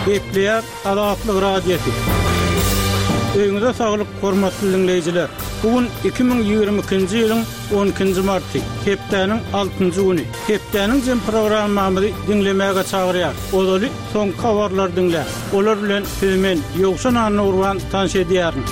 Gepleýär Azatlyk Radiosy. Öýüňize saglyk, hormatly diňleýjiler! Bu gün 2022-nji ýylyň on ikinji marty, hepdäniň altynjy güni. Hepdäniň jem programmamyzy diňlemäge çagyrýar. Ozaly soňky habarlary diňläň. Olar bilen sizi men, Ýowşan Annagurban tanyş edýärin.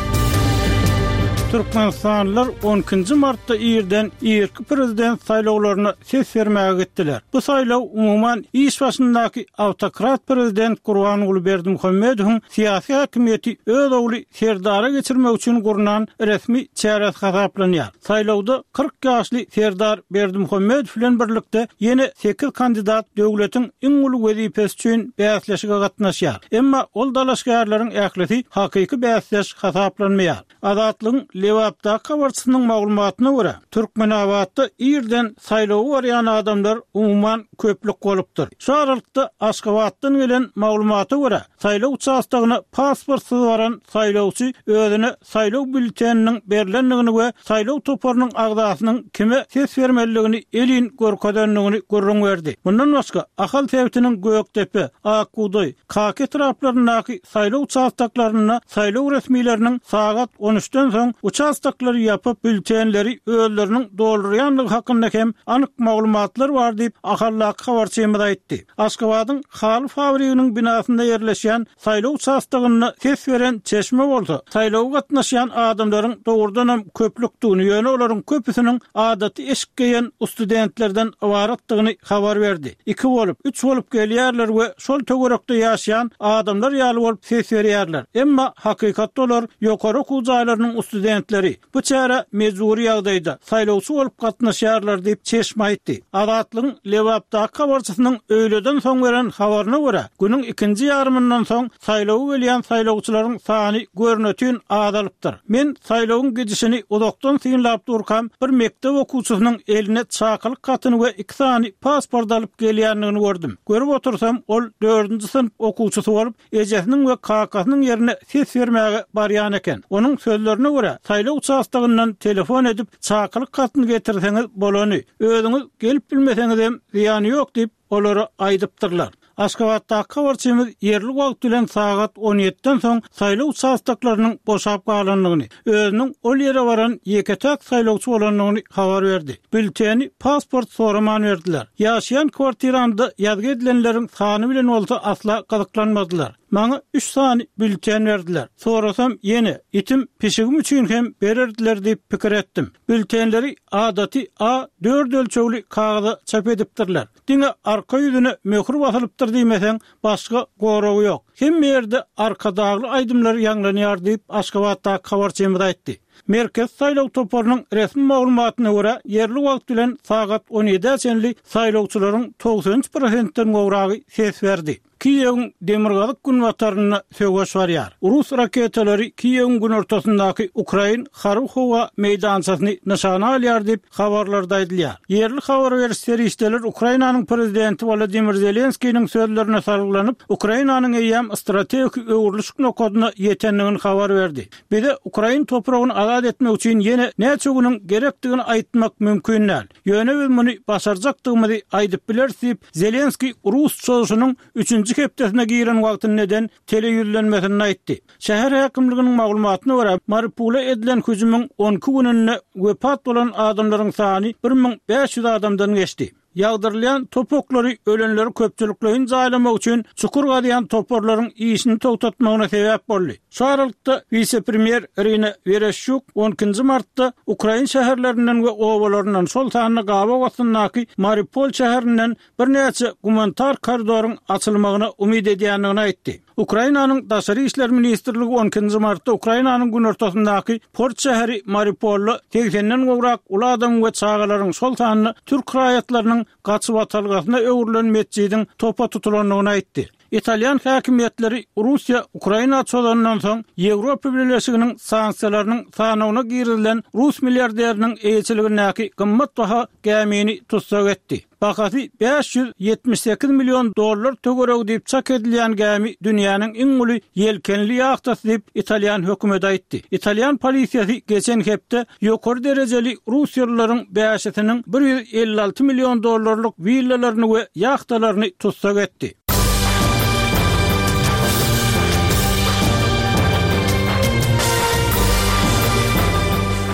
Türkmenistanlylar on ikinji martda irden irki prezident saýlawlaryna ses bermäge gitdiler. Bu saýlaw umuman iş başyndaky awtokrat prezident Gurbanguly Berdimuhamedowyň syýasy häkimiýeti öz ogly Serdara geçirmek üçin gurnan resmi çäresi hasaplanýar. Saýlawda 40 ýaşly Serdar Berdimuhamedow bilen birlikde ýene sekiz kandidat döwletiň iň uly wezipesi üçin bäsleşige gatnaşýar. Emma ol dalaşgärleriň ählisi hakyky bäsdeş hasaplanmaýar. Azatlygyň Lebapdaky habarçysynyň maglumatyna görä, Türkmenabatda irden saýlawa barýan adamlar umuman köplük bolupdyr. Şu aralykda, Aşgabatdan gelen maglumata görä, saýlaw uçastogyna pasportsyz baran saýlawçy özüne saýlaw býulleteniniň berlendigini we saýlaw toparynyň agzasynyň kime ses bermelidigini elin görkezendigini gürrüň berdi. Mundan başga, Ahal sebitiniň Gökdepe, Ak bugdaý, Kaka etraplaryndaky saýlaw uçastoklarynda saýlaw resmileriniň sagat on üçden soň uçastoklary ýapyp, býulletenleri özleriniň doldurýandygy hakynda hem anyk maglumatlar bar diýip, Ahaldaky habarçymyz aýtdy. Aşgabadyň haly fabriginiň binasynda ýerleşýän saýlaw uçastogynda ses beren çeşme bolsa, saýlawa gatnaşýan adamlaryň dogrudanam köplükdigini, ýöne olaryň köpüsiniň adaty eşik geýen ustudentlerden ybaratdygyny habar berdi. Iki bolup, üç bolup gelýärler we şol töwerekde ýaşaýan adamlar ýaly bolup ses berýärler. Emma hakykatda olar ýokary okuw jaýlarynyň studentleri. Bu çärä mejbury ýagdaýda, saýlawçy bolup gatnaşýarlar diýip, çeşme aýtdy. Azatlygyň Lebapdaky habarçysynyň öýleden soň beren habaryna görä, günüň ikinji ýarymyndan soň saýlawa gelýän saýlawçylaryň sany görnetin azalypdyr. Men saýlawyň gidişini uzakdan synlap durkam, bir mekdep okuwçysynyň eline çakylyk hatyny we iki sany pasport alyp gelýändigini gördüm. Görüp otursam, ol dördünji synp okuwçysy bolup, ejesiniň we kakasynyň ýerine ses bermäge barýan eken. Onuň sözlerine görä, saýlaw uçastogyndan telefon edip, çakylyk hatyny getirseňiz bolany, özüňiz gelip bilmeseňizem zyýany ýok diýip, olara aýdypdyrlar. Aşgabatdaky habarçymyz ýerli wagt bilen sagat on ýediden soň saýlaw uçastoklarynyň boşap galandygyny, özüniň ol ýere baran ýeke-täk saýlawçy bolandygyny habar berdi. Býulleteni pasport soraman berdiler. Ýaşaýan kwartiramda ýazgy edilenleriň sany bilen bolsa asla gyzyklanmadylar. Maňa üç sany býulleten berdiler. Sorasam, ýene, itim, pişigim üçin hem bererdiler diýip pikir etdim. Býulletenleri adaty A dört ölçegli kagyza çap edipdirler. Diňe arka ýüzüne möhür basylypdyr diýmeseň, başga goragy ýok. Hemme ýerde Arkadagly aýdymlar ýaňlanýar diýip, Aşgabatdaky habarçymyz aýtdy. Merkezi saýlaw toparynyň resmi maglumatyna görä, ýerli wagt bilen sagat on ýedä çenli saýlawçylaryň 93 prosentden gowragy ses berdi. Kiýewiň demirgazyk-günbatarynda söweş barýar. Rus raketalary Kiýewiň günortasyndaky ukrain harby-howa meýdançasyny nyşana alýar diýip, habarlarda aýdylýar. Ýerli habar beriş serişdeler Ukrainanyň prezidenti Wolodymyr Zelenskiniň sözlerine salgylanyp, Ukrainanyň eýýäm strategik öwrülişik nokadyna ýetendigini habar berdi. Bize ukrain topragyny azat etmek üçin ýene näçe günüň gerekdigini aýtmak mümkin däl. Ýöne biz muny başarjakdygymyzy aýdyp bileris diýip, Zelenskiý rus çozuşynyň üçünji hepdesine giren wagtynda eden teleýüzlenmesinde aýtdy. Şäher häkimliginiň maglumatyna görä, Mariupole edilen hüjümiň on iki gününde wepat bolan adamlaryň sany 1500 adamdan geçdi. Ýagdyrylýan top oklary ölenleri köpçülikleýin jaýlamak üçin çukur gazýan toparlaryň işini togtatmagyna sebäp boldy. Şu aralykda, wise-premýer Irina Wereşçuk on ikinji martda ukrain şäherlerinden we obalaryndan, şol sanda gabaw astyndaky Mariupol şäherinden birnäçe gumanitar koridoryň açylmagyna umyt edýändigini aýtdy. Ukrainanyň Daşary işler ministrligi on ikinji martda Ukrainanyň günortasyndaky port şäheri Mariupolda segsenden gowrak uly adamyň we çagalaryň, şol sanda türk raýatlarynyň gaçybatalgasyna öwrülen metjidiň topa tutulandygyny aýtdy. Italýan häkimiýetleri Russiýa Ukraina çozandan soň Ýewropa Bileleşiginiň sanksiýalarynyň sanawyna girizilen rus milliarderiniň eýeçiligindäki gymmatbaha gämini tussag etdi. Bahasy 578 million dollar töweregi diýip çak edilýän gämi dünýäniň iň uly ýelkenli ýahtasy diýip, italýan hökümeti aýtdy. Italýan polisiýasy geçen hepde ýokary derejeli russiýalylaryň bäşisiniň 156 million dollarlyk willalaryny we ýahtalaryny tussag etdi.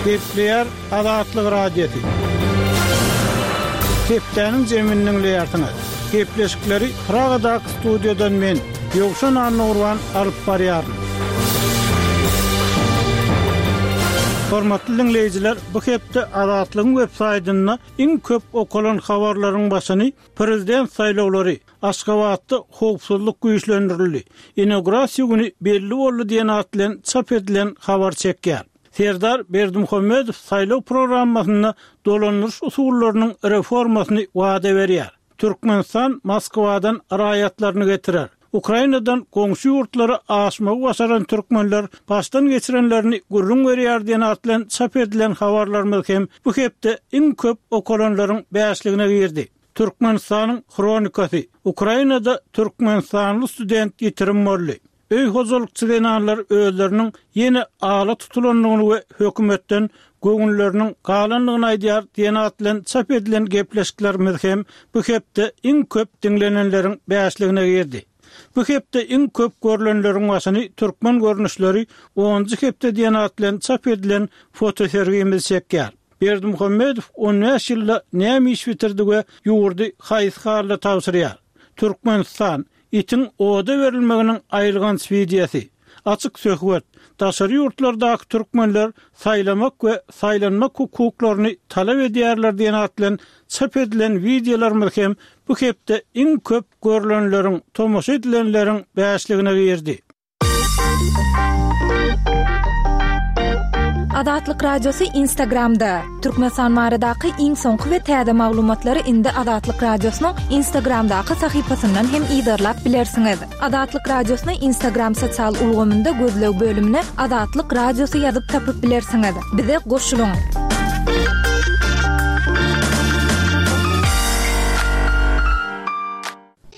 Gepleýär Azatlyk Radiosy. Hepdäniň jemini diňleýärsiňiz. Gepleşikleri Pragadaky studiýadan men, Ýowşan Annagurban alyp barýaryn. Hormatly diňleýjiler, bu hepde Azatlygyň websaýtynda iň köp okalan habarlaryň başyny prezident saýlawlary, Aşgabatda howpsuzlyk güýçlendirildi, inaugurasiýa güni belli boldy diýen at bilen çap edilen habar çekýär. Serdar Berdimuhamedow saýlaw programmasynda dolandyryş usullarynyň reformasyny wada berýär. Türkmenistan Moskwadan raýatlaryny getirer. Ukrainadan goňşy ýurtlara aşmagy başaran türkmenler başdan geçirenlerini gürrüň berýär diýen at bilen çap edilen habarlarymyz hem bu hepde iň köp okalanlaryň bäşligine girdi. Türkmenistanyň hronikasy, Ukrainada türkmenistanly student ýitirim boldy. Öý hojalykçy zenanlar özleriniň ýene ala tutulandygyny we hökümetden göwünleriniň galandygyny aýdýar diýen at bilen çap edilen gepleşiklerimiz hem bu hepde iň köp diňlenenleriň bäşligine girdi. Bu hepde iň köp görlenleriň başyny Türkmen görnüşleri onunjy hepde diýen at bilen çap edilen fotosergimiz çekýär. Berdimuhamedow on bäş ýylda näme iş bitirdi we ýurdy haýsy halda tabşyrýar? Türkmenistan, itiň oda berilmeginiň aýylganç wideosy. Açyk söhbet, Daşary ýurtlardaky türkmenler saýlamak we saýlanmak hukuklaryny talap edýärler diýen at bilen çap edilen wideolarymyz hem bu hepde iň köp görlenleriň, tomaşa edilenleriň bäşligine girdi. Azatlyk Radiosy Instagramda. Türkmenistan baradaky iň soňky we täze maglumatlary indi Azatlyk Radiosynyň Instagramdaky sahypasyndan hem yzarlap bilersiňiz. Azatlyk Radiosyny Instagram sosial ulgamynda gözleg bölümine Azatlyk Radiosy ýazyp tapyp bilersiňiz. Bize goşulyň!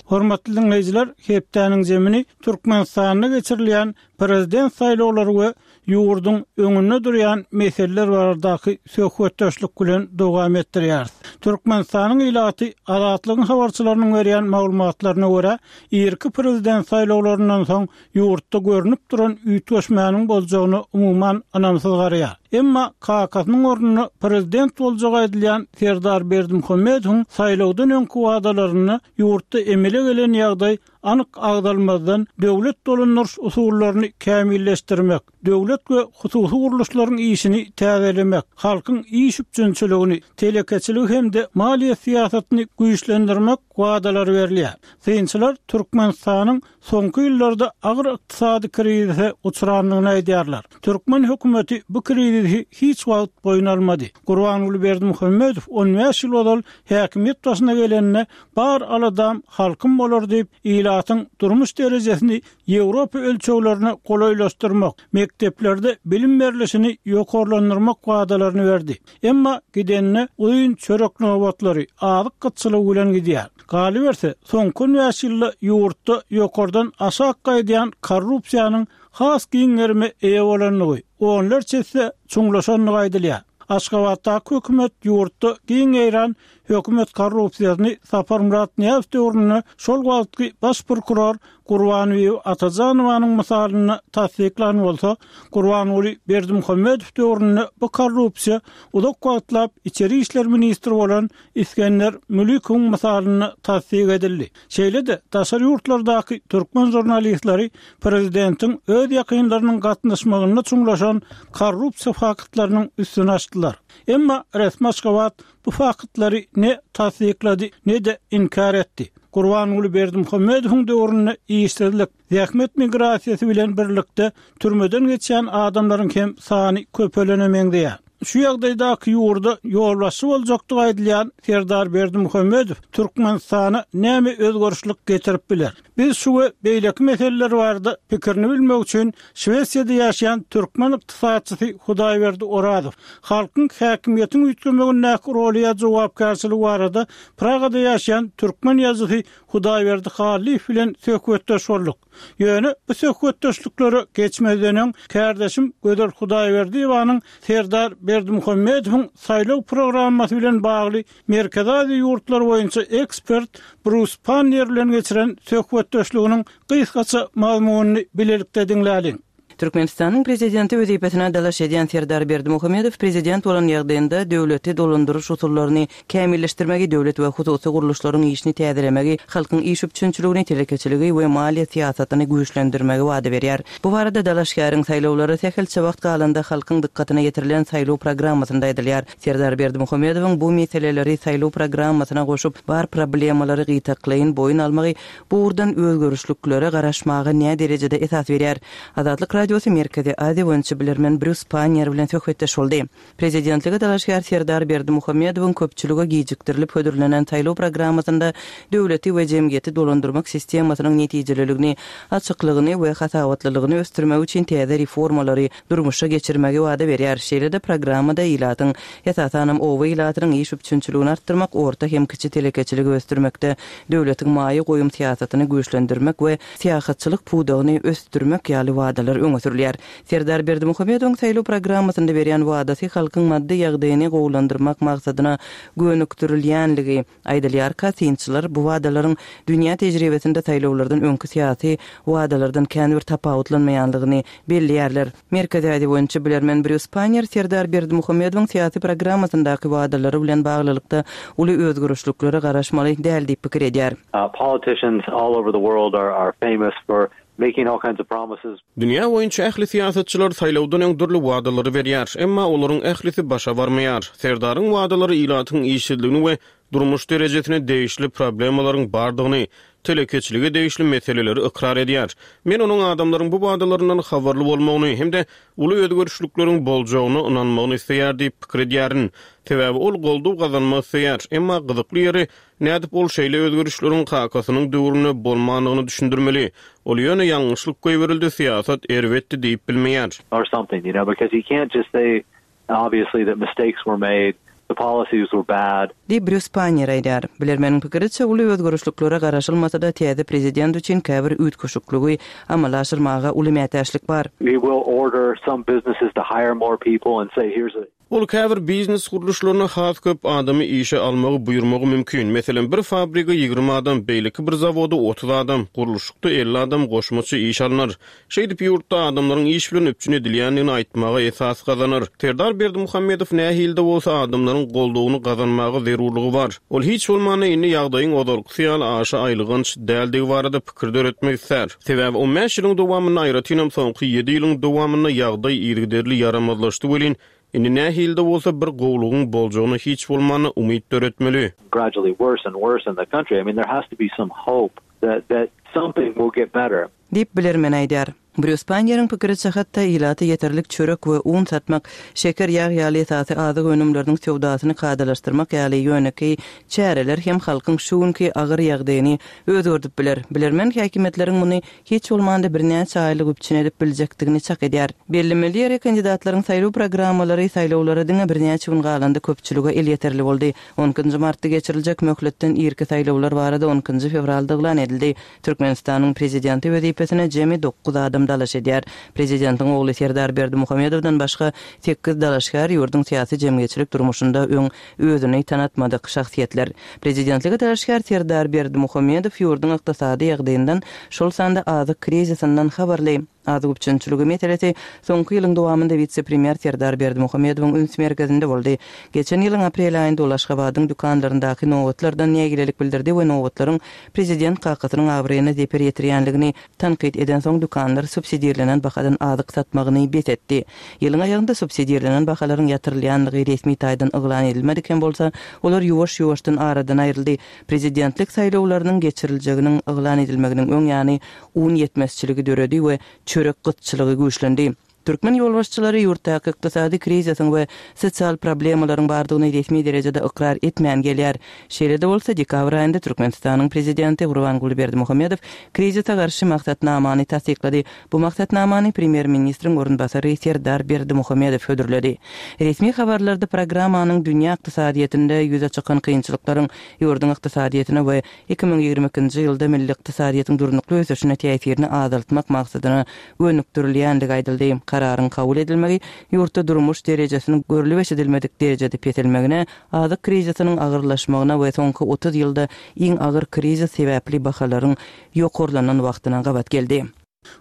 Hormatly diňleýjiler, hepdäniň zemini Türkmenistanda geçirilýän Prezident saýlawlary we ýurduň öňünde durýan meseleler baradaky söhbetdeşlik bilen dowam etdirýäris. Türkmenistanyň ilaty Azatlygyň habarçylarynyň berýän maglumatlaryna görä, irki Prezident saýlawlaryndan soň ýurtda görnüp duran üýtgeşmäniň boljagyna umuman ynamsyz garaýar. Emma kakasynyň ornuna prezident boljagy aýdylýan Serdar Berdimuhamedowyň saýlawdan öňki wadalarynda ýurtda emele gelen ýagdaý anyk agzalmazdan döwlet dolandyryş usullaryny kämilleşdirmek, döwlet we hususy gurluşlaryň işini täzelemek, halkyň iş üpjünçiligini, telekeçiligi hem-de maliýe syýasatyny güýçlendirmek wadalary berilýär. Synçylar Türkmenistanyň soňky ýyllarda agyr ykdysady krizise uçrandygyny aýdýarlar. Türkmen hökümeti bu krizisi hiç wagt boýun almady. Gurbanguly Berdimuhamedow on bäş ýyl ozal häkimiýet başyna gelende bar aladam halkym bolar diýip, ilatyň durmuş derejesini Ýewropa ölçeglerine golaýlaşdyrmak, mekdeplerde bilim berlişini ýokarlandyrmak wadalaryny berdi. Emma gidende uzyn çörek nobatlary, azyk gytçylygy bilen gidýär. Galyberse, soňky on bäş ýylda ýurtda ýokardan aşak gaýdýan korrupsiýanyň has giň gerime eýe bolandygy, onlarça esse çuňlaşandygy aýdylýar. Aşgabatdaky hökümet ýurtda giň ýaýran hökümet korrupsiýasyny Saparmyrat Nyýazow döwründe şol wagtky baş prokuror Gurbanbibi Atajanowanyň mysalynda tassyklan bolsa, Gurbanguly Berdimuhamedow döwründe bu korrupsiýa uzak wagtlap içeri işler ministri bolan Isgender Mülikowyň mysalynda tassyk edildi. Şeýle-de, daşary ýurtlardaky türkmen žurnalistleri prezidentiň öz ýakynlarynyň gatnaşmagynda çuňlaşan korrupsiýa faktlarynyň üstüni açdylar. Emma resmi Aşgabat bu faktlary ne tassyklady, ne-de inkär etdi. Gurbanguly Berdimuhamedowyň döwründe işsizlik, zähmet migrasiýasy bilen birlikde türmeden geçýän adamlaryň hem sany köpelene meňzeýär. Şu ýagdaýdaky ýurda ýolbaşçy boljakdygy aýdylýan Serdar Berdimuhamedow Türkmenistana näme özgerişlik getirip biler? Biz şu we beýleki meseleler barada pikirini bilmek üçin Şwesiýada ýaşaýan türkmen ykdysatçysy Hudaýberdi Orazow, halkyň häkimiýetiň üýtgemegindäki roly ýa jogapkärçiligi barada Pragada ýaşaýan türkmen ýazyjysy Hudaýberdi Hallyýew bilen söhbetdeş bolduk. Ýöne bu söhbetdeşliklere geçmezden öň, kärdeşim Gözel Hudaýberdiýewanyň Serdar Berdimuhamedowyň saýlaw programmasy bilen bagly Merkezi Aziýa ýurtlary boýunça ekspert Brus Panniýer bilen geçiren söhbetdeşliginiň gysgaça mazmunyny bilelikde diňläliň. Türkmenistanyň Prezidenti wezipesine dalaş edýän Serdar Berdimuhamedow prezident bolan ýagdaýynda döwleti dolandyryş usullaryny kämilleşdirmegi, döwlet we hususy gurluşlaryň işini täzelemegi, halkyň iş üpjünçiligini, telekeçiligi we maliýe syýasatyny güýçlendirmegi wada berýär. Bu barada dalaşgäriň saýlawlara sähelçe wagt galanda halkyň dykgatyna ýetirilen saýlaw programmasynda aýdylýar. Serdar Berdimuhamedowyň bu meseleleri saýlaw programmasyna goşup, bar problemalary gytaklaýyn boýun almagy bu ugurdan özgerişliklere garaşmaga näderejede esas berýär? Azatlyk Radiosy Merkezi Aziýa boýunça bilermen Brýus Panniýer bilen söhbetdeş boldy. Prezidentlige dalaşgär Serdar Berdimuhamedowyň köpçülige gijikdirilip hödürlenen saýlaw programmasynda döwleti we jemgyýeti dolandyrmak sistemasynyň netijeliligini, açyklygyny we hasabatlylygyny ösdürmek üçin täze reformalary durmuşa geçirmegi wada berýär. Şeýle-de programmada ilatyň, esasanam oba ilatynyň iş üpjünçiligini artdyrmak, orta hem kiçi telekeçiligi ösdürmekde döwletiň maýa goýum syýasatyny güýçlendirmek we syýahatçylyk pudagyny ösdürmek ýaly wadalar öňe sürülýär. Serdar Berdimuhamedowyň saýlaw programmasynda berýän wadasy halkyň maddy ýagdaýyny gowulandyrmak maksadyna gönükdirilýänligi aýdylýarka, synçylar bu wadalaryň dünýä tejribesinde saýlawlardan öňki syýasy wadalardan kän bir tapawutlanmaýanlygyny belleýärler. Merkezi Aziýa boýunça bilermen Brýus Pannier Serdar Berdimuhamedowyň syýasy programmasyndaky wadalary bilen baglylykda uly özgerişliklere garaşmaly däl diýip pikir edýär. Politicians all over the world are famous for making all kinds of promises. Dünýä boýunça ähli syýasatçylar saýlawdan öň dürli wadalary berýär, emma olaryň ählisi başa barmaýar. Serdaryň wadalary ilatyň işsizligini we durmuş derejesine degişli problemalaryň bardygyny, telekeçilige degişli meseleleri ykrar edýär. Men onuň adamlaryň bu wadalaryndan habarly bolmagyny hem-de uly özgerişlikleriň boljagyna ynanmagyny isleýär diýip pikir edýärin. Sebäbi ol goldaw gazanmak isleýär. Emma gyzykly ýeri, Nädip ol şeýle özgerişleriň kakasynyň döwründe bolmandygyny düşündirmeli? Ol ýöne ýalňyşlyk goýberildi, syýasat erbetdi diýip bilmeýär. Or something, you know, because he can't just say obviously that mistakes were made, the policies were bad. Diýip, Brýus Panniýer aýdýar. Bilermeniň pikiriçe, uly özgerişliklere garaşylmasa-da, täze prezident üçin käbir üýtgeşikligi amala aşyrmaga uly mätäçlik bar. He will order some businesses to hire more people and say here's a. Ol käbir biznes gurluşlaryna has köp adamy işe almagy buýurmagy mümkin. Meselem, bir fabrige 20 adam, beýleki bir zawoda 30 adam, gurluşykda 50 adam goşmaça iş alnar. Şeýdip, ýurtda adamlaryň iş bilen üpjün edilýändigini aýtmaga esas gazanar. Serdar Berdimuhamedow nähili-de bolsa adamlaryň goldawyny gazanmaga zerurlygy bar. Ol hiç bolmanda indi ýagdaýyň ozalkysy ýaly aşa aýylganç däldigi barada pikir döretmek islär. Sebäbi on bäş ýylyň dowamynda, aýratynam soňky ýedi ýylyň dowamynda ýagdaý yzygiderli ýaramazlaşdy welin, indi nähili-de bolsa bir gowulygyň boljagyna hiç bolmanda umyt döretmeli. Gradually worse and worse in the country. I mean there has to be some hope that that something will get better. Diýip, bilermen aýdýar. Brýus Panniýeriň pikiriçe, hatda ilata ýeterlik çörek we un satmak, şeker, ýag ýaly esasy azyk önümleriniň söwdasyny kadalaşdyrmak ýaly ýönekeý çäreler hem halkyň şu günki agyr ýagdaýyny özgerdip biler. Bilermen häkimiýetleriň muny hiç bolmanda birnäçe aýlyk üpjün edip biljekdigini çak edýär. Bellemeli ýeri, kandidatlaryň saýlaw programmalary saýlawlara diňe birnäçe gün galanda köpçülige elýeterli boldy. On ikinji martda geçiriljek möhletden irki saýlawlar barada on ikinji fewralda yglan edildi. Türkmenistanyň Prezidenti wezipesine jemi dokuz adam dalaş edýär. Prezidentiň ogly Serdar Berdimuhamedowdan başga sekiz dalaşgär ýurduň syýasy-jemgyýetçilik durmuşynda öň özüni tanatmadyk şahsyýetler. Prezidentlige dalaşgär Serdar Berdimuhamedow ýurduň ykdysady ýagdaýyndan, şol sanda azyk krizisinden habarly. Azyk üpjünçiligi meselesi soňky ýylyň dowamynda wise-premýer Serdar Berdimuhamedowyň üns merkezinde boldy. Geçen ýylyň aprel aýynda ol Aşgabadyň dükanlaryndaky nobatlardan nägilelik bildirdi we nobatlaryň prezident kakasynyň abraýyna zeper ýetirýänligini tankyt edensoň dükanlar subsidirlenen bahadan azyk satmagyny bes etdi. Ýylyň aýagynda subsidirlenen bahalaryň ýatyrylýanlygy resmi taýdan yglan edilmedik hem bolsa, olar ýuwaş-ýuwaşdan aradan aýryldy. Prezidentlik saýlawlarynyň geçiriljeginiň yglan edilmeginiň öň ýany un ýetmezçiligi döredi we çörek gytçylygy güýçlendi. Türkmen ýolbaşçylary ýurtdaky ykdysady krizisiň we sosial problemalaryň bardygyny resmi derejede ykrar etmän gelýär. Şeýle-de bolsa, dekabr aýynda Türkmenistanyň prezidenti Gurbanguly Berdimuhamedow krizise garşy maksatnamany tassyklady. Bu maksatnamany premýer-ministriň orunbasary Serdar Berdimuhamedow hödürledi. Resmi habarlarda programmanyň dünýä ykdysadyýetinde ýüze çykan kynçylyklaryň ýurduň ykdysadyýetine we 2022-nji ýylda milli ykdysadyýetiň durnukly ösüşine täsirini azaltmak maksadyna gönükdirilýändigi aýdyldy. Kararyň kabul edilmegi ýurtda durmuş derejesiniň görlüp-eşidilmedik derejede peselmegine, azyk krizisiniň agyrlaşmagyna we soňky 30 ýylda iň agyr krizis sebäpli bahalaryň ýokarlanan wagtyna gabat geldi.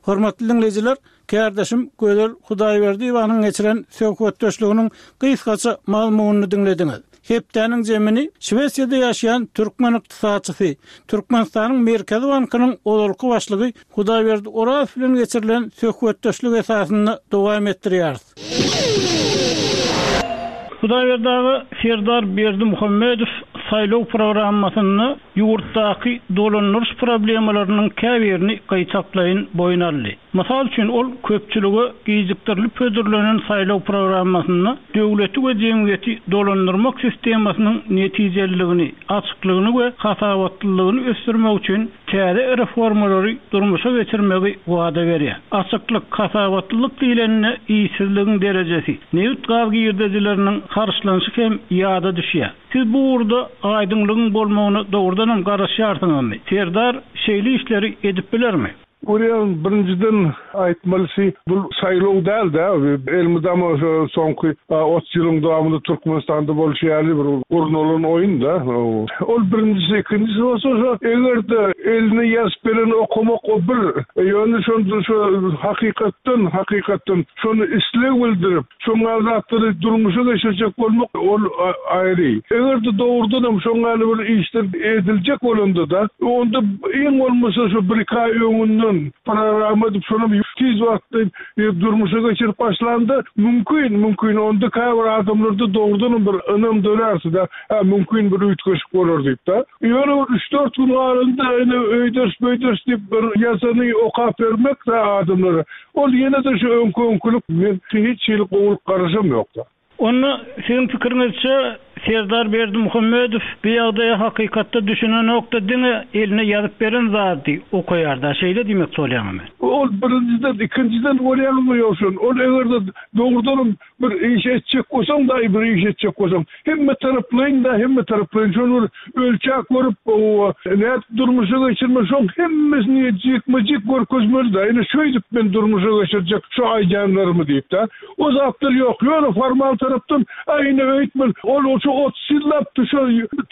Hormatly diňleýjiler, kärdeşim Gözel Hudaýberdiýewanyň geçiren söhbetdeşliginiň gysgaça mazmunyny diňlediňiz. Hepdäniň jemini Şwesiýada ýaşaýan türkmen ykdysatçysy, Türkmenistanyň Merkezi bankynyň ozalky başlygy Hudaýberdi Orazow bilen geçirilen söhbetdeşlik esasynda dowam etdirýäris. Hudaýberdi aga, Serdar Berdimuhamedow saýlaw programmasynda ýurtdaky dolandyryş problemalarynyň käbirini gytaklaýyn boýun aldy. Mysal üçin, ol köpçülige gijikdirilip hödürlenen saýlaw programmasynda döwleti we jemgyýeti dolandyrmak sistemasynyň netijeliligini, açyklygyny we hasabatlylygyny ösdürmek üçin täze reformalary durmuşa geçirmegi wada berýär. Açyklyk, hasabatlylyk diýlende işsizligiň derejesi, nebit-gaz girdejileriniň harçlanyşy hem ýada düşýär. Siz bu ugurda aýdyňlygyň bolmagyna dogrudanam garaşýarsyňyzmy? Serdar şeýle işleri edip bilermi? Görýän, birinjiden aýtmalysy, bu saýlaw däl-de, elmydama şo soňky 30 ýylyň dowamynda Türkmenistanda bolşy ýaly bir gurnalan oýun-da. Ol birinjisi, ikinjisi bolsa şo eger-de eline ýazyp bereni okamak o bir, ýöne şonda şo hakykatdan, hakykatdan şony isleg bildirip, Şoň ýaly zatlary durmuşa geçirjek bolmak ol aýry. Eger-de dogrudanam şoň ýaly bir işler ediljek bolanda-da, onda iň bolmasa şu bir-iki aý öňünden programma edip şonam tiz wagtda durmuşa geçirip başlanda mümkin, mümkin onda käbir adamlarda dogrudanam bir ynam dörärdi-de, hä mümkin bir üýtgeşik bolar diýip-de. Ýöne bir üç-dört gün galanda ine öýderis-beýderis diýip bir ýazany okap bermek-de adamlara. Ol ýene-de şu öňki-öňkülik, men hiç hili gowulyk garaşam ýok-da. Onda siziň pikiriňizçe Serdar Berdimuhamedow bu ýagdaýa hakykatda düşünenokda diňe eline ýazyp beren zady okaýarda şeýle diýmekçi bolýaňyzmy? Ol birinjiden, ikinjiden bolýaňyzmy Ýowşan, ol eger-de dogrudanam Bir iş etjek bolsaň daýy bir iş etjek bolsaň hemme taraplaýyn da hemme taraplaýyn şony bir ölçäp görüp owa nädip durmuşa geçirmeli şoň hemmesini jikme jik görkezmeli da ine şöýdüp men durmuşa geçirjek şu aýdýanlarymy diýip da o zatlar ýok ýöne formal tarapdan a ine öýtmeli ol şu 30 ýyllap şu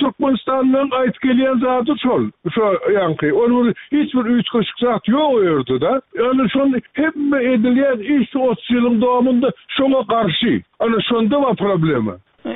Türkmenistanlylaryň aýdyp gelýän zady şol şo ýaňky ol bir hiç bir üýtgeşik zat ýok o ýerde da ýöne şony hemme edilýän iş şu 30 ýylyň dowamynda Şoňa garşy. Ana şonda bar problema.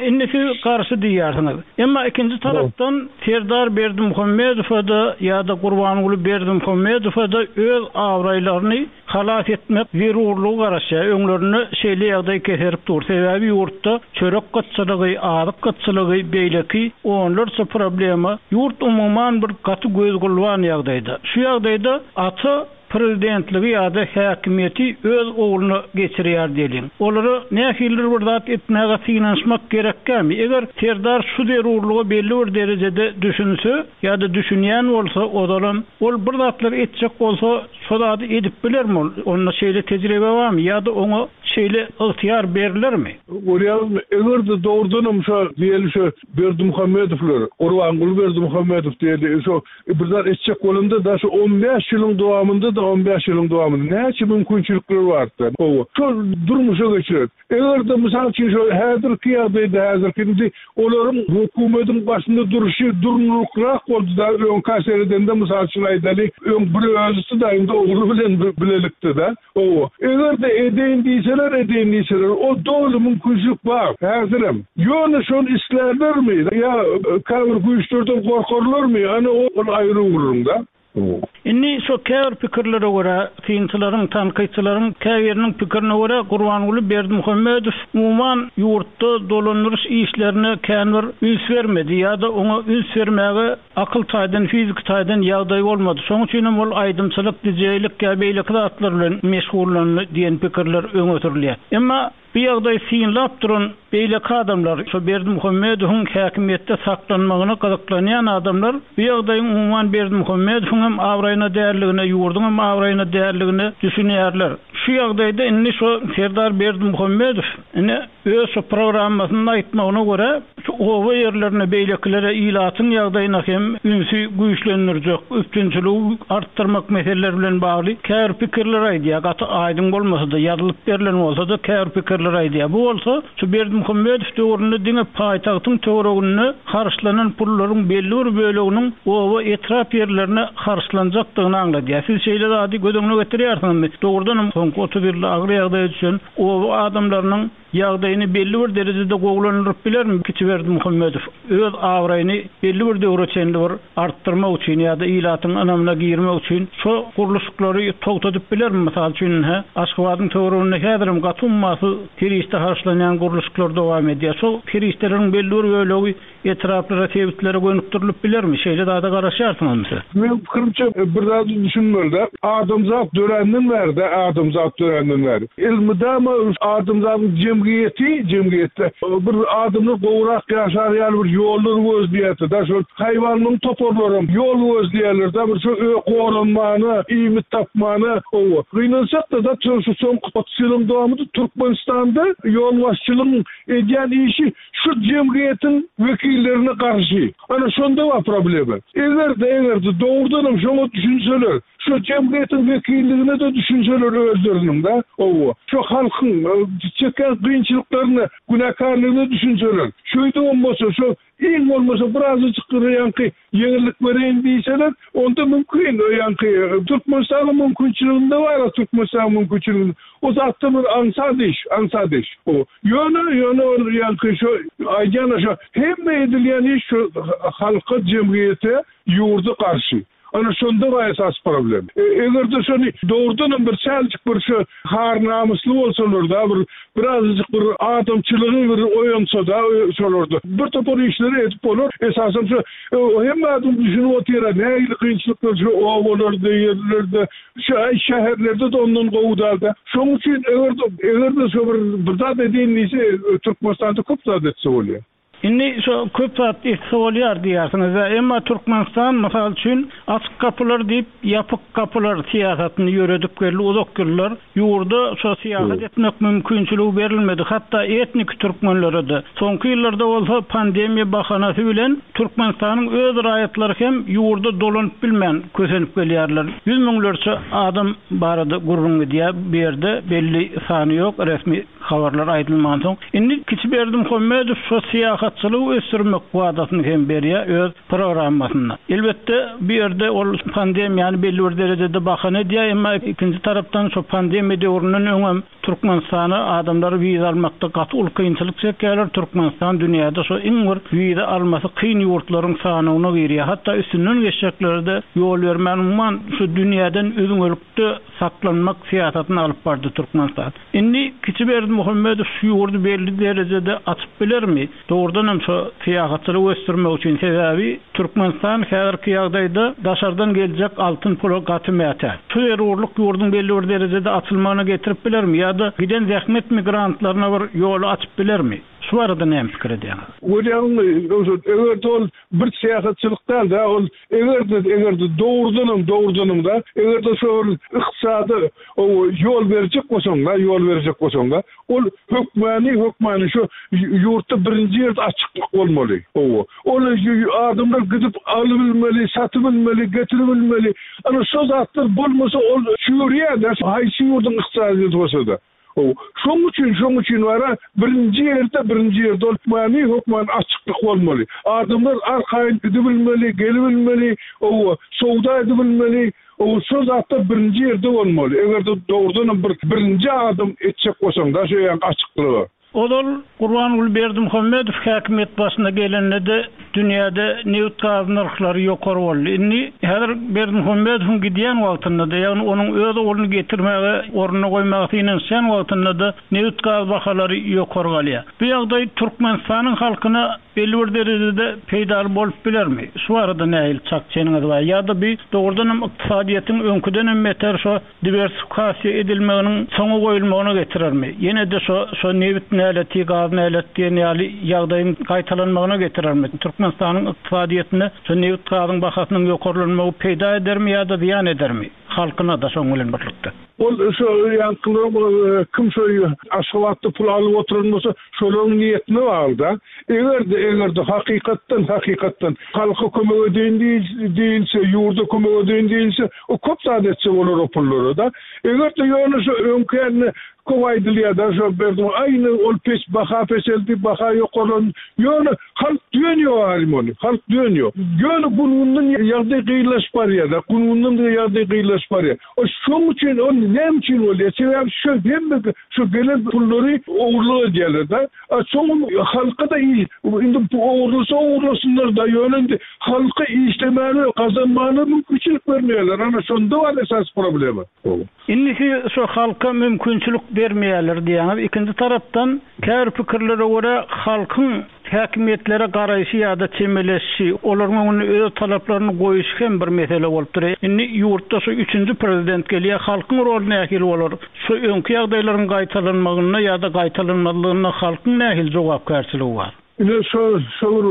Indi siz garşy diýýärsiňiz. Emma ikinji tarapdan Serdar Berdimuhamedowa-da ýa-da Gurbanguly Berdimuhamedowa-da öz abraýlaryny halas etmek zerurlygy garaşýar. Öňlerinde şeýle ýagdaý keserip dur. Sebäbi ýurtda çörek gytçylygy, azyk gytçylygy, beýleki onlarça problema, ýurt umuman bir gaty göz-gulban ýagdaýda. Şu ýagdaýda ata Prezidentligi ýa-da häkimiýeti öz ogluna geçirýär diýeliň. Olara nähilidir bir zat etmäge synanyşmak gerekkämi? Eger Serdar şu zerurlyga belli bir derejede düşünse ýa-da düşünýän bolsa ozalam, ol bir zatlar etjek bolsa şo zady edip bilermi ol? Onda şeýle tejribe barmy ýa-da oňa şeýle ygtyýar berilermi? Görýäňizmi, eger-de dogrudanam şo diýeli şo Berdimuhamedowlar, Gurbanguly Berdimuhamedow diýeli şo Bir zat etjek bolanda da şu 15 ýylyň dowamynda da 15 ýylyň dowamynda näçe mümkinçilikler bardy. Gowy. Şol durmuşa geçirer. Eger-de mysal üçin şu häzirki ýagdaýda häzirki indi olaryň hökümetiň başynda duruşy durnuklyrak boldy da öňkä seredende mysal üçin aýdaly öň bir özüsi da indi ogly bilen bilelikde da. Hawa, eger-de edeýin diýseler, edeýin diýseler, o doly mümkinçilik bar, häzirem. Ýöne şony islärlermi ýa käbir güýçlerden gorkarlarmy, ana ol aýry gürrüň-dä. Indi şo käbir pikirlere görä, synçylaryň, tankytçylaryň käbiriniň pikirine görä, Gurbanguly Berdimuhamedow umuman ýurtda dolandyryş işlerine kän bir üns bermedi ýa-da oňa üns bermäge Akyl taýdan, fiziki taýdan ýagdaýy bolmady. Şonuň üçin hem ol aýdymçylyk, dijeýlik ýa beýleki zatlar bilen meşgullandy diýen pikirler öňe sürülýär. Emma bu ýagdaýy synlap duran beýleki adamlar, şo Berdimuhamedowyň häkimiýetde saklanmagyna gyzyklanýan adamlar bu ýagdaýyň umuman Berdimuhamedowyň hem abraýyna däldigine, ýurduň hem abraýyna däldigine düşünýärler. Şu ýagdaýda indi şu Serdar Berdimuhamedow ine öz şu programmasynda aýtmagyna görä, şu oba ýerlerine beýlekilere ilatyň ýagdaýyna hem ünsi güýçlendirjek, üpjünçiligi artdyrmak meseleleri bilen bagly käbir pikirleri aýdýar. Gaty aýdyň bolmasa-da, ýazylyp berlen bolsa-da käbir pikirleri aýdýar. Bu bolsa şu Berdimuhamedow döwründe diňe paýtagtyň töwereginde harçlanan pullaryň belli bir böleginiň oba, etrap ýerlerine harçlanjakdygyny aňladýar. Siz şeýle zady göz öňüne getirýärsiňizmi? Dogrudanam, soňky 30 ýylda agyr ýagdaýa düşen oba adamlarynyň ýagdaýyny belli bir derejede gowulandyryp bilermi Kiçi Berdimuhamedow? Öz abraýyny belli bir döwre çenli bir artdyrmak üçin ýa-da ilatyň ynamyna girmek üçin şo gurluşyklary togtadyp bilermi? Mysal üçin, ine, Aşgabadyň töwereginde häzirem gaty ummasyz serişde harçlanýan gurluşyklar dowam edýär. Şo serişdeleriň belli bir bölegi etraplara, sebitlere gönükdirilip bilermi? Şeýle zada garaşýarsyňyzmy siz? Meň pikirimçe, bir zady düşünmeli-de, adamzat döränden bäri-de, adamzat döränden bäri, elmydama adamzadyň jemgyýeti, jemgyýetde bir adamlar gowurak ýaşar ýaly bir ýollar gözleýärdi-de, şol haýwanlaryň toparlaram ýol gözleýärler-de, bir şo goranmana, iýmit tapmana, hawa. Gynansak-da-da, şu soňky 30 ýylyň dowamynda Türkmenistanda ýolbaşçylygyň edýän işi şu jemgyýetiň wekillerine garşy. Ana şonda bar problema. Eger-de, eger-de dogrudanam şoňa düşünseler, şu jemgyýetiň wekilligine-de düşünseler özleriniň-de, hawa, şu halkyň çekýän kynçylyklaryna, günäkärligine düşünseler, şeýdibem bolsa şu iň bolmasa birazajyk ýaňky Ýeňillik bereýin diýseler, onda mümkin, ýaňky Türkmenistanyň mümkinçiliginde bar-a, Türkmenistanyň mümkinçiliginde. O zatda bir aňsat iş, aňsat iş. O, ýöne, ýöne ol ýaňky şo aýdýan-a şo, hemme edilýän iş şo halka, jemgyýete, ýurda garşy. Ana şonda bar esasy problem. Eger-de şony dogrudanam bir çäljik bir şo har-namysly bolsalar-da, bir Birazajyk bir adamçylygy bir oýansa-da şolarda bir topar işleri edip bolar. Esasam şu hemme adam düşünip otyr-a nähili kynçylyklar şu obalarda, ýerlerde, şu şäherlerde-de ondan gowy däl-de. Şonuň üçin eger-de eger-de şo bir bir zat edeýin diýse Türkmenistanda köp zat etse bolýar. Indi şo köp zat etse bolýar diýýärsiňiz-dä. Emma Türkmenistan, mysal üçin, açyk gapylar diýip, ýapyk gapylar syýasatyny ýöredip geldi uzak ýyllar. Ýurda şo syýahat etmek mümkinçiligi berilmedi, hatda etniki türkmenlere-de. Soňky ýyllarda bolsa pandemiýa bahanasy bilen Türkmenistanyň öz raýatlary hem ýurda dolanyp bilmän kösenip gelýärler. Ýüz müňlerçe adam barada gürrüň gidýär bu ýerde, belli sany ýok, resmi Habarlar aýdylmansoň, indi kiçi Berdimuhamedow şo syýahatçylygy ösdürmek wadasyny hem berýär öz programmasynda. Elbetde, bu ýerde ol pandemiýany belli bir derejede bahana edýär, emma ikinji tarapdan şo pandemiýa döwründen öňem Türkmenistana adamlar wiza almakda gaty uly kynçylyk çekýärler, Türkmenistan dünýäde şo iň bir wiza almasy kyn ýurtlaryň sanawyna girýär, hatda üstünden geçjeklere-de ýol bermän umuman şu dünýäden üzňelikde saklanmak syýasatyny alyp bardy Türkmenistan. Indi kiçi Berdimuhamedow şu ýurdy belli derejede açyp bilermi? Dogrudan hem şo syýahatçylygy ösdürmek üçin, sebäbi Türkmenistan häzirki ýagdaýda daşardan geljek altyn pula gaty mätäç. Şu zerurlyk ýurduň belli bir derejede açylmagyna getirip bilermi ýa-da giden zähmet migrantlaryna bir ýoly açyp bilermi? Şu barada näme pikir edýäňiz? Görýäňmi, Röwşen, eger-de ol bir syýahatçylyk däl-de, ol eger-de, eger-de dogrudanam, dogrudanam-da, eger-de şo bir ykdysady ýol berjek bolsaň-da, ýol berjek bolsaň-da, ol hökmany, hökmany şo ýurtda birinji ýerde açyklyk bolmaly. Hawa. Ol adamlar gidip alybilmeli, satybilmeli, getiribilmeli. Ana şo zatlar bolmasa ol çüýrýär-de, haýsy ýurduň ykdysadyýeti bolsa-da. How, şoň üçin, şoň üçin bara birinji ýerde, birinji ýerde ol many hökman açyklyk bolmaly. Adamlar arkaýyn gidibilmeli, gelibilmeli, hawa, söwda edibilmeli, hawa, şo zatlar birinji ýerde bolmaly. Eger-de dogrudanam bir birinji adam etjek bolsaň-da şo ýaňky açyklygy. Ozal Gurbanguly Berdimuhamedow häkimiýet başyna gelende-de dünýäde nebit-gaz nyrhlary ýokary boldy. Indi häzir Berdimuhamedowyň gidýän wagtynda-da, ýagny onuň öz ogluny getirmäge, ornuna goýmaga synanyşýan wagtynda-da nebit-gaz bahalary ýokary galýar. Bu ýagdaý Türkmenistanyň halkyna belli bir derejede peýdaly bolup bilermi? Şu barada nähili çak-çeniňiz bar? Ýa-da bu dogrudanam ykdysadyýetiň öňküdenem beter şo diwersifikasiýa edilmeginiň soňa goýulmagyna getirermi? Ýene-de şo şo nebit näleti, gaz näleti diýen ýaly ýagdaýyň gaýtalanmagyna getirermi? Türkmenistanyň ykdysadyýetine şo nebit-gazyň bahasynyň ýokarlanmagy peýda edermi ýa-da zyýan edermi? Halkyna-da şoň bilen birlikde. Ol şo ýaňkylaryň kim şo Aşgabatda pul alyp oturan bolsa, şolaryň niýetine bagly-da. Eger-de, eger-de hakykatdan, hakykatdan halka kömek edeýin diýilse, ýurda kömek edeýin diýilse, o köp zat etse bolar o pullara-da. Eger-de ýöne şo öňki ýaly köp aýdylýar-da, şo Berdimuhamedow, aý indi ol pes, baha peseldi, baha ýokarlandy. Ýöne halk dönýär aýrym ony, halk dönýär. Ýöne gün-günden ýagdaý gyýylaşyp barýar-da, gün-günden ýagdaý gyýylaşyp barýar. O şoň üçin ol näme üçin bolýar? Sebäbi şu hemme şu gelen pullary ogurlyk edýärler-de. A soňam halka-da indi ogurlasa ogurlasynlar-da, ýöne indi halka işlemäne, gazanmana mümkinçilik bermeýärler. Ana şonda bar esasy problema. Indi siz şu halka mümkinçilik bermeýärler diýýäňiz. Ikinji tarapdan käbir pikirlere görä halkyň Häkimiýetlere garaýşy ýa-da çemeleşişi, olaryň öňünde öz talaplaryny goýuşy hem bir mesele bolup durýar. Indi ýurtda şu üçünji prezident gelýär, halkyň roly nähili bolar? Şu öňki ýagdaýlaryň gaýtalanmagynda ýa-da gaýtalanmazlygynda halkyň nähili jogapkärçiligi bar? Ine şo şo bir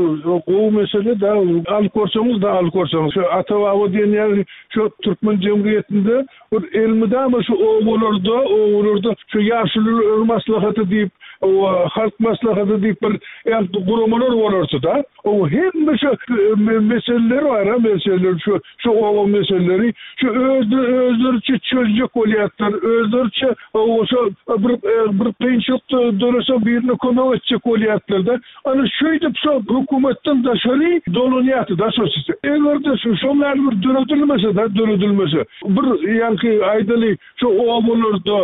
gowy mesele-dä, alyp görseňiz-de alyp görseňiz, şu ata-baba diýen ýaly şu türkmen jemgyýetinde Bir elmydama şu obalarda, obalarda şu ýaşulular maslahaty diýip, halk maslahaty diýip bir guramalar bolardy-da. O hemme şu meseleler bar-a, meseleler şu şu oba meseleleri şu özleri özleriçe çözjek bolýardylar, özleriçe şu bir bir kynçylyk dörese birine kömek etjek bolýardylar-da. Ana şeýdip şo hökümetden daşary dolanýardy-da şo sistema. Eger-de şu şoň ýaly bir döredilmese-de, döredilmese, bir ýaňky aýdaly şo obalarda,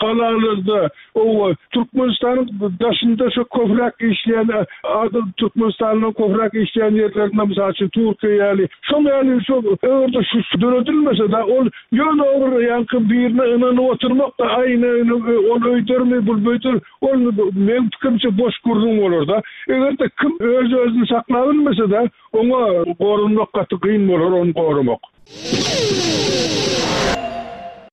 galalarda, oba Türkmenistanyň daşynda şo köpräk işleýän adam Türkmenistandan köpräk işleýän ýerlerinde mysal üçin Türkiýe ýaly, şoň ýaly şo eger-de şu döredilmese-de ol ýöne bir ýaňky birine ynanyp oturmak-da, aý ine ol öýdermi, bul beýder, Ol meň pikirimçe boş gürrüň bolarda. Eger-de kim öz-özüni saklabilmese-de, oňa goranmak gaty kyn bolar ony goramak.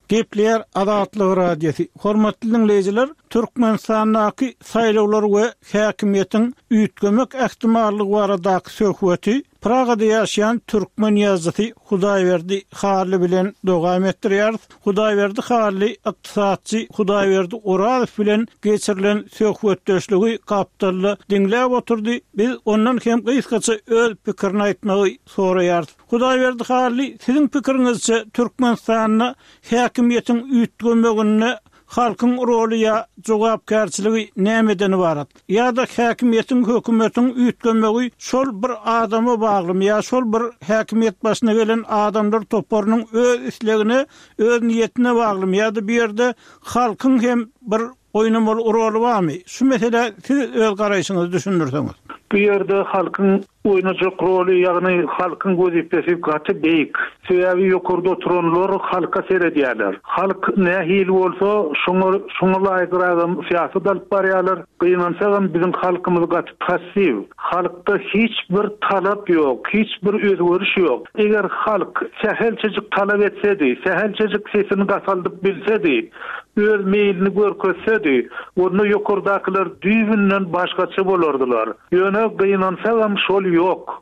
Gepleýär Azatlyk Radiosy. Hormatly diňleýjiler, Türkmenistandaky saýlawlar we häkimiýetiň üýtgemek ähtimallygy baradaky söhbeti Pragada ýaşaýan türkmen ýazyjysy Hudaýberdi Hally bilen dowam etdirýäris. Hudaýberdi Hally ykdysatçy Hudaýberdi Orazow bilen geçirilen söhbetdeşligi gapdalda diňläp oturdy. Biz ondan hem gysgaça öz pikirini aýtmagy soraýarys. Hudaýberdi Hally, siziň pikiriňizçe Türkmenistanda häkimiýetiň üýtgemeginde halkyň roly ýa jogapkärçiligi nämeden ybarat? Ýa-da häkimiýetiň, hökümetiň üýtgemegi şol bir adama baglymy ýa şol bir häkimiýet başyna gelen adamlar toparynyň öz islegine, öz niýetine baglymy ýa-da bu ýerde halkyň hem bir oýnamaly roly barmy? Şu meselä siz öz garaýşyňyzy düşündirseňiz. Bu ýerde halkyň Oýnajak roly, ýagny halkyň wezipesi gaty beýik. Sebäbi ýokarda oturanlar halka seredýärler. Halk nähili bolsa, şoňa şoňa laýygragam syýasat alyp barýarlar. Gynansagam biziň halkymyz gaty passiw. Halkda hiç bir talap ýok, hiç bir özgeriş ýok. Eger halk sähelçejik talap etsedi, sähelçejik sesini gataldyp bilsedi, öz meýlini görkezsedi, onda ýokardakylar düýbünden başgaça bolardylar. Ýöne gynansagam şol ýok.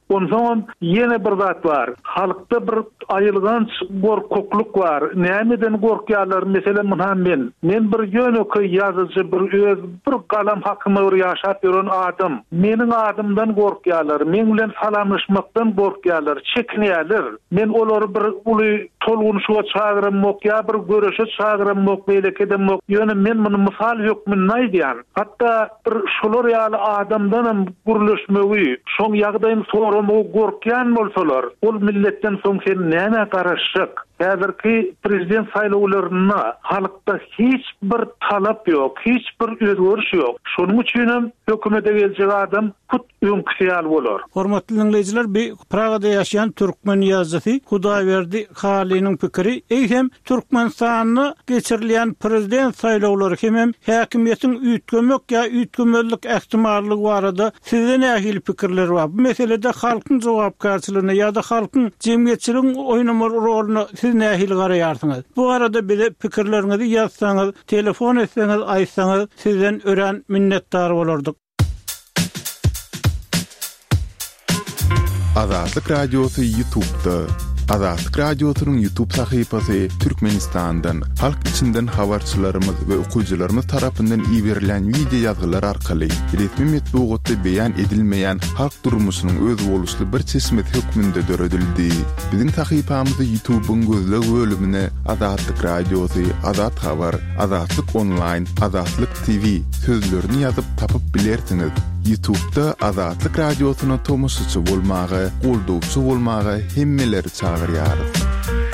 Onsoňam ýene bir zat bar. Halkda bir aýylganç gorkaklyk bar. Nämeden gorkýarlar, meselem ynha men. Men bir ýönekeý ýazyjy, bir öz bir galam hakyma bir ýaşap ýören adam. Meniň adymdan gorkýarlar, meň bilen salamlaşmakdan gorkýarlar, çekinýärler. Men olary bir uly tolgunyşyga çagyramok ýa bir göreşe çagyramok, beýleki edemok. Ýöne men muny mysal hökmünde aýdýan. Hatda bir şolar ýaly adamdanam gürleşmegi, şoň ýagdaýyny soramagy gorkýan bolsalar, ol milletden soň sen nämä garaşjak? Häzirki prezident saýlawlarynda halkda hiç bir talap ýok, hiç bir özgeriş ýok. Şonuň üçinem hökümete geljek adam hut öňküsi ýaly bolar. Hormatly diňleýjiler bi Pragada ýaşaýan türkmen ýazyjysy Hudaýberdi Halynyň pikiri, eýsem Türkmenistanda geçirilýän prezident saýlawlary hemem häkimiýetiň üýtgemek ýa üýtgemezlik ähtimallygy barada sizde nähili pikirler bar? Bu meselede halkyň jogapkärçiligine ýa-da halkyň jemgyýetçiligiň oýnamaly roluna siz nähili garaýarsyňyz? Bu barada bize pikirleriňizi ýazsaňyz, telefon etseňiz, aýtsaňyz sizden örän minnetdar bolardyk. Azatlyk Radiosy Ýutubda. Azatlyk Radiosynyň YouTube sahypasy Türkmenistandan, halk içinden habarçylarymyz we okyjylarymyz tarapyndan iberilýän wideo ýazgylar arkaly resmi metbugatda beýan edilmeýän halk durmuşynyň özboluşly bir çeşmesi hökmünde döredildi. Biziň sahypamyzy YouTube-yň gözleg bölümine Azatlyk Radiosy, Azat Habar, Azatlyk Onlaýn, Azatlyk TV sözlerini ýazyp tapyp bilersiňiz. Ýutubda Azatlyk Radiosyna tomaşaçy bolmaga, goldawçy bolmaga hemmeleri çagyrýarys.